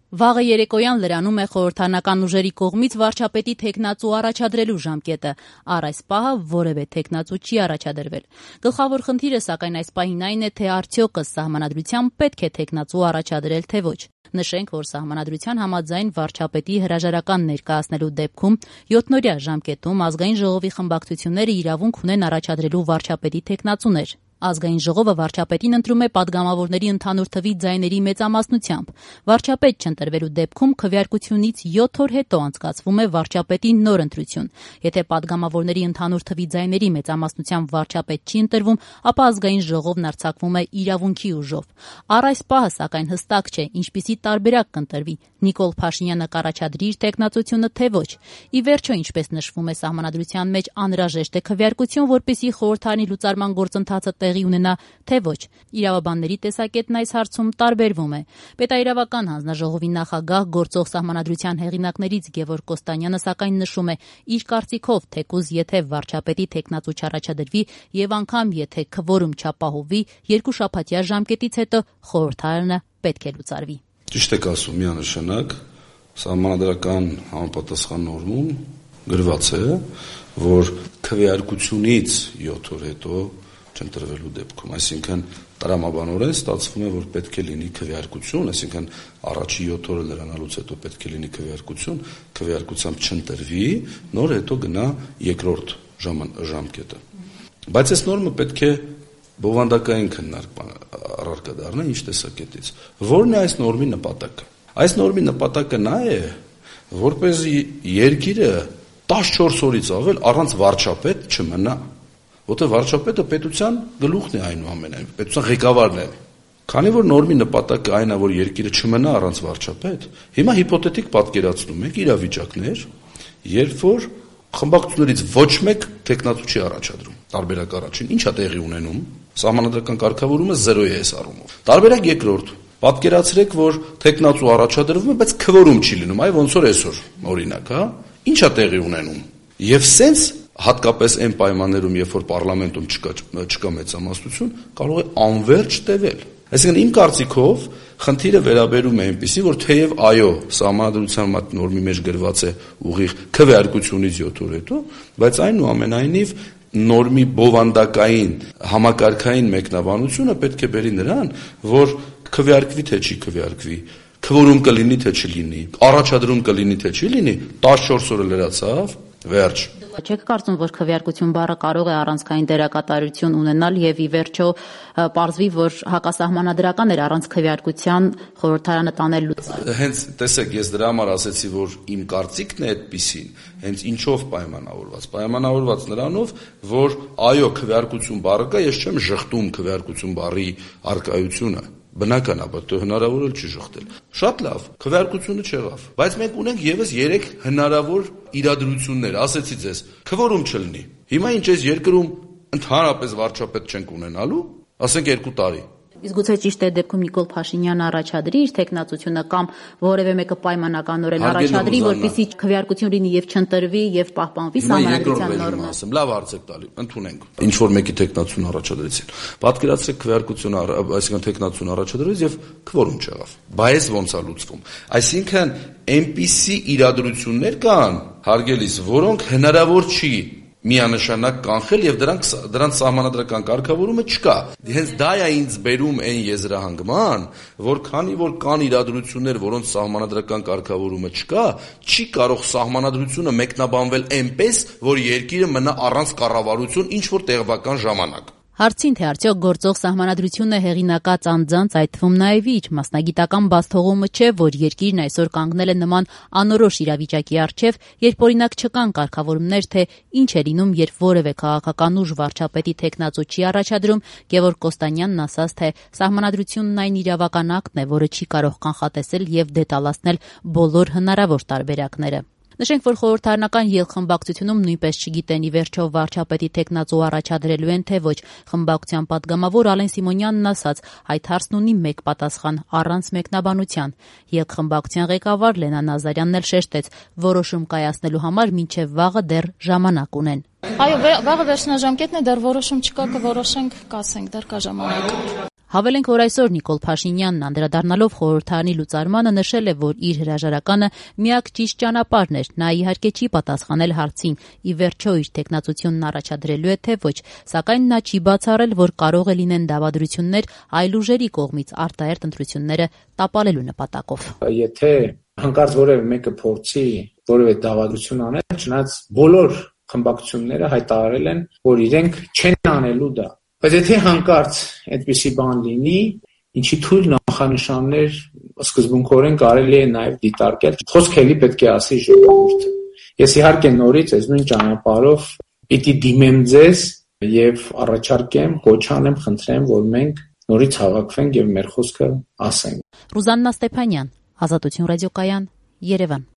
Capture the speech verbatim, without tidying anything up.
Վաղը երեկոյան լրանում է խորհրդարանական ուժերի կողմից վարչապետի թեկնածու առաջադրելու ժամկետը։ Առ այս պահը որևէ թեկնածու չի առաջադրվել։ Գլխավոր խնդիրը սակայն այս պահին այն է, թե արդյոք ըստ սահմանադրության պետք է թեկնածու առաջադրել, թե ոչ։ Նշենք, որ սահմանադրության համաձայն վարչապետի հրաժարական ներկայացնելու դեպքում յոթնօրյա ժամկետում ազգային ժողովի խմբակցությունները իրավունք ունեն առաջադրելու վարչապետի թեկնածուներ։ Ազգային ժողովը վարչապետին ընտրում է պատգամավորների ընդհանուր թվի ձայների մեծամասնությամբ։ Վարչապետ չընտրվելու դեպքում քվեարկությունից յոթ օր հետո անցկացվում է վարչապետի նոր ընտրություն։ Եթե պատգամավորների ընդհանուր թվի ձայների մեծամասնությամբ վարչապետ չի ընտրվում, ապա ազգային ժողովն արձակվում է իրավունքի ուժով։ Առ այս պահը սակայն հստակ չէ, ինչպիսի տարբերակ կընտրվի՝ Նիկոլ Փաշինյանը կառաջադրի իր թեկնածությունը, թե ոչ։ Ի վերջո, ինչպես նշվում է սահմանադրության մեջ, անհրաժեշտ է քվեարկություն, որպեսզի խորհրդարանի լուծարման գործընթացը տեղի ունենա, թե ոչ։ Իրավաբանների տեսակետն այս հարցում տարբերվում է։ Պետաիրավական հանձնաժողովի նախագահ, գործող սահմանադրության հեղինակներից Գևորգ Կոստանյանը սակայն նշում է, իր կարծիքով, թեկուզ եթե վարչապետի թեկնածու չառաջադրվի եւ անգամ եթե քվորում չապահովի, երկու շաբաթյա ժամկետից հետո խորհրդարանը պետք է լուծարվի։ Ճիշտ եք ասում, միանշանակ սահմանադրական համապատասխան նորմում գրված է, որ քվեարկությունից յոթ օր հետո չընտրվելու դեպքում, այսինքն տրամաբանորեն ստացվում է, որ պետք է լինի քվեարկություն, այսինքն առաջի յոթ օրը լրանալուց հետո պետք է լինի քվեարկություն, քվեարկությամբ չընտրվի, նոր հետո գնա երկրորդ ժամկետը։ Բայց այս նորմը պետք է բովանդակային քննարկման առարկա դառնա ինչ տեսակետից։ Որն է այս նորմի նպատակը։ Այս նորմի նպատակը նա է, որպեսզի երկիրը տասնչորս օրից ավել առանց վարչապետ չմնա։ Որտեղ վարչապետը պետության գլուխն է այնուամենայնիվ, պետության ղեկավարն է։ Քանի որ նորմի նպատակը այն է, որ երկիրը չմնա առանց վարչապետ, հիմա հիպոթետիկ պատկերացնում եք իրավիճակներ, երբ որ խմբակցություններից ոչ մեկ թեկնածու չի առաջադրում։ Տարբերակ առաջին, ի՞նչ է տեղի ունենում։ Սահմանադրական կարգավորումը զերո է այս առումով։ Տարբերակ երկրորդ, պատկերացրեք, որ թեկնածու առաջադրվում է, բայց քվորում չի լինում, այ ոնց որ այսօր, օրինակ, հա։ Ինչ է տեղի ունենում։ Եվ սենց հատկապես այն պայմաններում, երբ որ պարլամենտում չկա չկա մեծամասնություն, կարող է անվերջ տևել։ Այսինքն իմ կարծիքով խնդիրը վերաբերում է այնպեսի, որ թեև այո, սահմանադրության մոտ նորմի մեջ գրված է ուղիղ քվեարկությունից յոթ օր հետո, բայց այնուամենայնիվ նորմի բովանդակային համակարգային մեկնաբանությունը պետք է բերի նրան, որ քվեարկվի թե չի քվեարկվի, քվորում կլինի թե չլինի, առաջադրում կլինի թե չի լինի, տասնչորս օրը լրացավ, վերջ։ Չեք կարծում, որ քվեարկություն բառը կարող է առանցքային դերակատարություն ունենալ եւ ի վերջո պարզվի, որ հակասահմանադրական էր առանց քվեարկության խորհրդարանը տանել լուծարանը։ Հենց տեսեք, ես դրա համար ասեցի, որ իմ կարծիքն է այդպիսին, հենց ինչով պայմանավորված։ Պայմանավորված նրանով, որ այո, քվեարկություն բառը կա, ես չեմ ժխտում քվեարկություն բառի արկայությունը։ Բնականաբար, դե հնարավոր էլ չի ժխտել։ Շատ լավ, քվեարկությունը չեղավ, բայց մենք ունենք եւս երեք հնարավոր իրադրություններ, ասեցի ձեզ, քվորում չլինի։ Հիմա ինչ էս երկրում ընդհանրապես վարչապետ չենք ունենալու, ասենք երկու տարի։ Իսկ գուցե ճիշտ է դեպքում Նիկոլ Փաշինյանը առաջադրի իր թեկնածությունը կամ որևէ մեկը պայմանականորեն առաջադրի, որպեսզի քվեարկություն լինի եւ չընտրվի եւ պահպանվի սահմանադրության նորմը։ Ասեմ, լավ հարց եք տալի, ընդունենք։ Ինչ որ մեկի թեկնածուն առաջադրեցին։ Պատկերացրեք քվեարկություն, այսինքն թեկնածուն առաջադրեց եւ քվորում չեղավ։ Բայց ոնց է լուծվում։ Այսինքն այնպիսի իրադրություններ կան, հարգելիս, որոնք հնարավոր չի միանշանակ կանխել եւ դրանք դրանց սահմանադրական կարգավորումը չկա։ Հենց դա է ինձ բերում այն եզրահանգման, որ քանի որ կան իրադրություններ, որոնց սահմանադրական կարգավորումը չկա, չի կարող սահմանադրությունը մեկնաբանվել այնպես, որ երկիրը մնա առանց կառավարություն ինչ որ տեղական ժամանակ։ Հարցին, թե արդյոք գործող սահմանադրությունը հեղինակած անձանց, այդ թվում նաև իր մասնագիտական բացթողումը չէ, որ երկիրն այսօր կանգնել է նման անորոշ իրավիճակի առջև, երբ օրինակ չկան կարգավորումներ, թե ինչ է լինում, երբ որևէ քաղաքական ուժ վարչապետի թեկնածու չի առաջադրում, Գևորգ Կոստանյանն ասաց, թե սահմանադրությունն այն իրավական ակտն է, որը չի կարող կանխատեսել եւ դետալացնել բոլոր հնարավոր տարբերակները։ Նշենք, որ խորհրդարանական ելխմբակցությունում նույնպես չգիտեն ի վերջո վարչապետի թեկնածու առաջադրելու են, թե ոչ։ Խմբակցության պատգամավոր Ալեն Սիմոնյանն ասաց, այդ հարցն ունի մեկ պատասխան՝ առանց մեկնաբանության։ Ելխմբակցության ղեկավար Լենա Նազարյանն էլ շեշտեց, որոշում կայացնելու համար մինչև վաղը դեռ ժամանակ ունեն։ Այո, վաղը վերջնաժամկետն է, դեռ որոշում չկա, կորոշենք, կասենք, դեռ կա ժամանակ։ Հավելենք, որ այսօր Նիկոլ Փաշինյանն անդրադառնալով խորհրդարանի լուծարմանը նշել է, որ իր հրաժարականը միակ ճիշտ ճանապարհն էր, նա իհարկե չի պատասխանել հարցին, ի վերջո իր թեկնածությունն առաջադրելու է թե ոչ, սակայն նա չի բացառել, որ կարող է լինեն դավադրություններ այլ ուժերի կողմից արտահերթ ընտրությունները տապալելու նպատակով։ Եթե հանկարծ որևէ մեկը փորձի որևէ դավադրություն անել, չնայած բոլոր խմբակցությունները հայտարարել են, որ իրենք չեն անելու դա։ Բայց եթե հանկարծ այդպիսի բան լինի, ինչի թույլ նախանշաններ սկզբունքորեն կարելի է նաև դիտարկել, խոսք էլի պետք է ասի ժողովուրդը։ Ես իհարկե նորից այս նույն ճանապարհով պիտի դիմեմ ձեզ եւ առաջարկեմ, կոչ անեմ, խնդրեմ, որ մենք նորից հավաքվենք եւ մեր խոսքը ասենք։ Ռուզաննա Ստեփանյան, Ազատություն ռադիոկայան, Երևան։